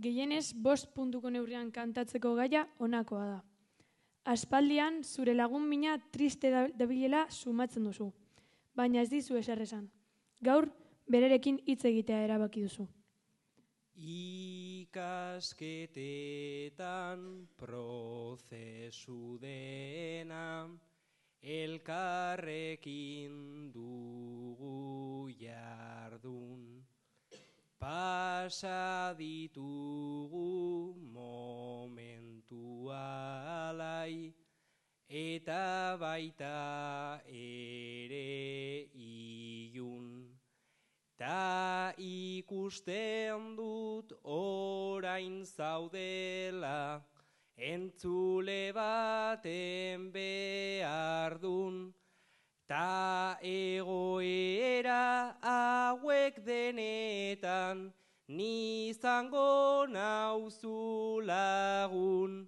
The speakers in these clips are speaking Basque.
gehienez 5 puntuko neurrian kantatzeko gaia honakoa da. Aspaldian zure lagun mina triste dabilela sumatzen duzu, baina ez dizu ezer esan. Gaur berarekin hitz egitea erabaki duzu. Ikasketetan prozesu dena, elkarrekin dugu jardun. Pasa ditugu momentu alai, eta baita ere ilun. Ta ikusten dut orain zaudela, entzule baten behardun. Ta egoera hauek denetan, nizango nauzu lagun.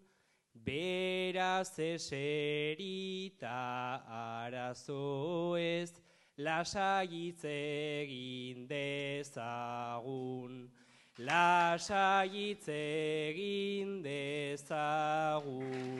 Beraz eseri ta arazo ez, lasai hitz egin dezagun. Lasai hitz egin dezagun.